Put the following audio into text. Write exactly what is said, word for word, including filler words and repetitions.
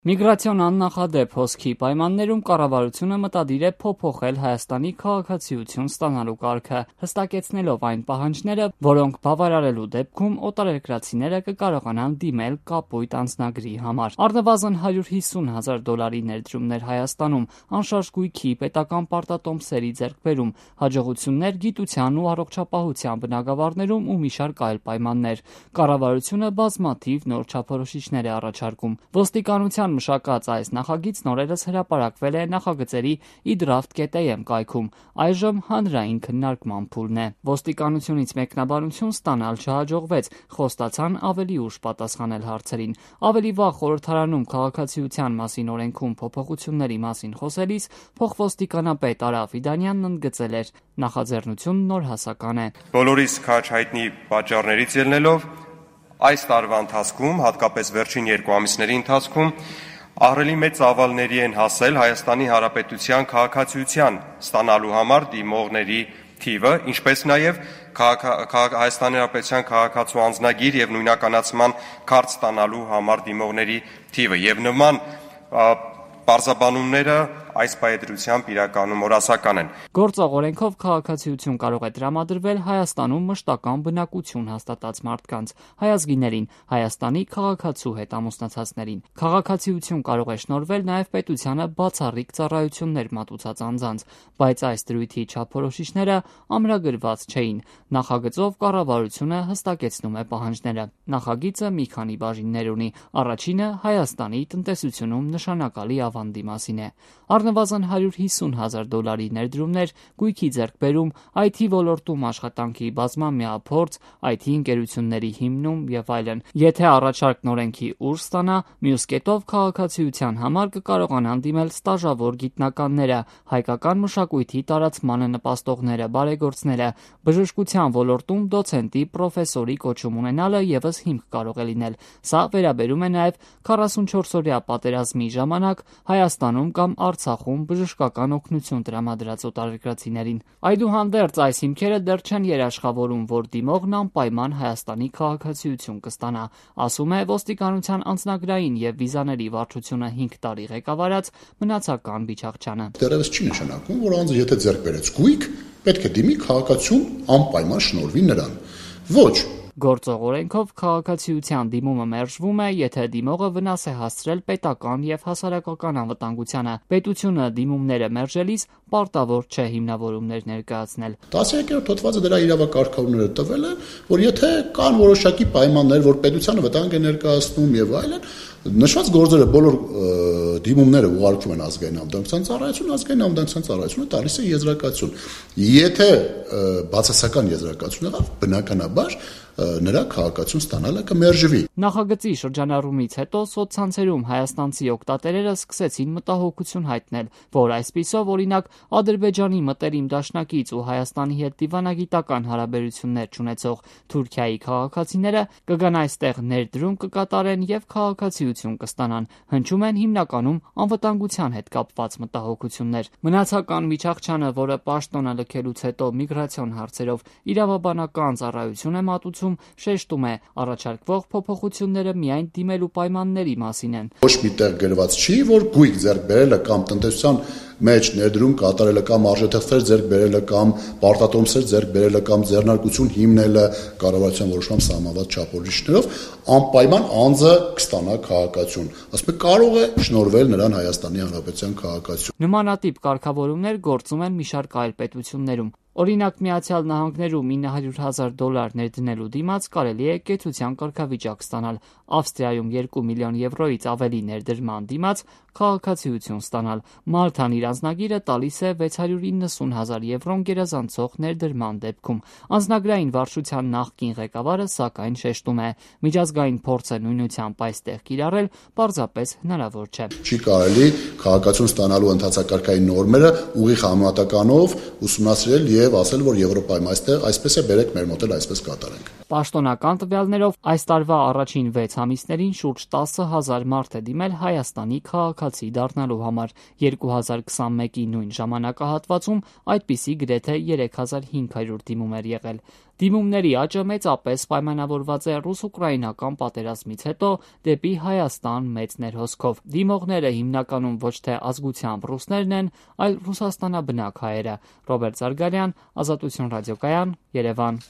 Միգրացիոն աննախադեպ հոսքի պայմաններում կառավարությունը մտադիր է փոփոխել Հայաստանի քաղաքացիություն ստանալու կարգը, հստակեցնելով այն պահանջները, որոնք բավարարելու դեպքում օտարերկրացիները կկարողանան դիմել կապույտ անձնագրի համար։ Առնվազն հարյուր հիսուն հազար դոլարի ներդրումներ Հայաստանում, անշարժ գույքի, պետական պարտատոմսերի ձեռքբերում, հաջողություններ գիտության ու առողջապահության բնագավառներում ու մի շարք այլ պայմաններ։ Կառավարությունը բազմաթիվ նոր չափորոշիչներ է առաջարկում։ Ոստիկանության մշակած այս նախագիծն օրերս հրապարակվել է նախագծերի իդրաֆտ կետ էյ էմ կայքում, այժմ հանրային քննարկման փուլն է։ Ոստիկանությունից մեկնաբանություն ստանալ չհաջողվեց, խոստացան ավելի ուշ պատասխանել հարցերին։ Ավելի վաղ խորհրդարանում քաղաքացիության մասին օրենքում փոփոխությունների մասին խոսելիս փոխոստիկանապետ Արա Ֆիդանյանն ընդգծել էր. նախաձեռնությունն նորհասական է։ Բոլորիս քաջ հայտնի պատճառներից ելնելով այս տարվա ընթացքում, հատկապես վերջին երկու ամիսների ընթացքում, ահռելի մեծ ծավալների են հասել Հայաստանի Հանրապետության քաղաքացիության ստանալու համար դիմողների թիվը, ինչպես նաև Հայաստանի Հանրապետության քաղաքացու անձնագիր եւ նույնականացման քարտ ստանալու համար դիմողների թիվը եւ նման պարզաբանումները այս պայծրությամբ իրականում օրասական են։ Գործող օրենքով քաղաքացիություն կարող է տրամադրվել Հայաստանում մշտական բնակություն հաստատած մարդկանց, հայազգիներին, Հայաստանի քաղաքացու հետ ամուսնացածներին։ Քաղաքացիություն կարող է շնորհվել նաև պետությանը բացառիկ ծառայություններ մատուցած անձանց, բայց այս դրույթի չափորոշիչները ամրագրված չէին։ Նախագծով կառավարությունը հստակեցնում է պահանջները։ Նախագիծը մի քանի բաժիններ ունի։ Առաջինը Հայաստանի տնտեսությունում նշանակալի ավանդի մասին է։ Առնվազն հարյուր հիսուն հազար դոլարի ներդրումներ, գույքի ձեռքբերում, այ թի ոլորտում աշխատանքի բազմամյա փորձ, այ թի ընկերությունների հիմնում եւ այլն։ Եթե առաջարկն օրենքի ուժ ստանա, մյուս կետով քաղաքացիության համար կկարողանան դիմել ստաժավոր գիտնականները, հայկական մշակույթի տարածմանը նպաստողները, բարեգործները, բժշկության ոլորտում դոցենտի, պրոֆեսորի կոչում ունենալը եւս հիմք կարող է լինել։ Սա վերաբերում է նաեւ քառասունչորս օրյա պատերազմի ժամանակ Հայաստանում կամ Արցախում բժշկական օգնություն տրամադրած օտարերկրացիներին։ Այդուհանդերձ այս հիմքերը դեռ չեն երաշխավորում, որ դիմողն անպայման Հայաստանի քաղաքացիություն կստանա, ասում է ոստիկանության անձնագրային եւ վիզաների վարչությունը հինգ տարի ղեկավարած Մնացական Բիչախչյանը։ Դեռևս չի նշանակում, որ անձը եթե ձեռք բերեց գույք, պետք է դիմի քաղաքացիություն անպայման շնորհվի նրան։ Ոչ։ Գործող օրենքով քաղաքացիության դիմումը մերժվում է, եթե դիմողը վնաս է հասցրել պետական եւ հասարակական անվտանգությանը։ Պետությունը դիմումները մերժելիս պարտավոր չէ հիմնավորումներ ներկայացնել։ տասներորդ հոդվածը դրա իրավակարգավորները տվել է, որ եթե կան որոշակի պայմաններ, որ պետությանը վտանգ է ներկայացնում եւ այլն, նշված գործերը բոլոր դիմումները ուղարկվում են ազգային անվտանգության ծառայություն, ազգային անվտանգության ծառայությունը տալիս է եզրակացություն։ Եթե բացասական եզրակացություն եղավ, բնականաբար նրա քաղաքացիություն ստանալը կմերժվի։ Նախագծի շրջանառումից հետո սոցցանցերում հայաստանցի օգտատերերը սկսեցին մտահոգություն հայտնել, որ այսպիսով օրինակ Ադրբեջանի մտերիմ դաշնակից ու Հայաստանի հետ դիվանագիտական հարաբերություններ չունեցող Թուրքիայի քաղաքացիները կգան այստեղ ներդրում կկատարեն եւ քաղաքացիություն կստանան։ Հնչում են հիմնականում անվտանգության հետ կապված մտահոգություններ։ Մնացական Բիչախչյանը, որը պաշտոնը լքելուց հետո միգրացիոն հարցերով իրավաբանական ծառայություն է մատուցում, շեշտում է, առաջարկվող փոփոխությունները միայն դիմելու պայմանների մասին են։ Ոչ միտեղ գրված չի, որ գույք ձեռք բերելը կամ տնտեսության մեջ ներդրում կատարելը կամ արժեթղթեր ձեռք բերելը կամ պարտատոմսեր ձեռք բերելը կամ ձեռնարկություն հիմնելը կառավարության որոշման սահմանված չափորոշիչներով անպայման անձը կստանա քաղաքացիություն։ Ասում է կարող է շնորհվել նրան Հայաստանի Հանրապետության քաղաքացիություն։ Նմանատիպ կարգավորումներ գործում են մի շարք այլ պետություններում։ Օրինակ Միացյալ Նահանգներում ինը հարյուր հազար դոլար ներդնելու դիմաց կարելի է կեցության կարգավիճակ ստանալ, Ավստրիայում երկու միլիոն եվրոից ավելի ներդրման դիմաց քաղաքացիություն ստանալ։ Մալթան իր անձնագիրը տալիս է վեց հարյուր իննսուն հազար եվրոն գերազանցող ներդրման դեպքում։ Անձնագրային վարչության նախկին ղեկավարը սակայն շեշտում է, միջազգային փորձը նույնությամբ այստեղ կիրառել պարզապես հնարավոր չէ։ Չի կարելի քաղաքացիություն ստանալու ընթացակարգային նորմերը ուղիղ համեմատականով ուսումնասիրել եւ եւ ասել, որ Եվրոպայում այստեղ այսպես է, բերեք մեր մոտ էլ այսպես կատարենք։ Պաշտոնական տվյալներով այս տարվա առաջին վեց ամիսներին շուրջ տասը հազար մարդ է դիմել Հայաստանի քաղաքացի դառնալու համար։ երկու հազար քսանմեկի նույն ժամանակահատվածում այդպիսի գրեթե երեք հազար հինգ հարյուր դիմում էր եղել։ Դիմումների աճը մեծապես պայմանավորված է ռուս-ուկրաինական պատերազմից հետո դեպի Հայաստան մեծ ներհոսքով։ Դիմողները հիմնականում ոչ թե ազգությամբ ռուսներն են, այլ ռուսաստանաբնակ հայերը։ Ռոբերտ Զարգարյան, Ազատություն ռադիոկայան, Երևան։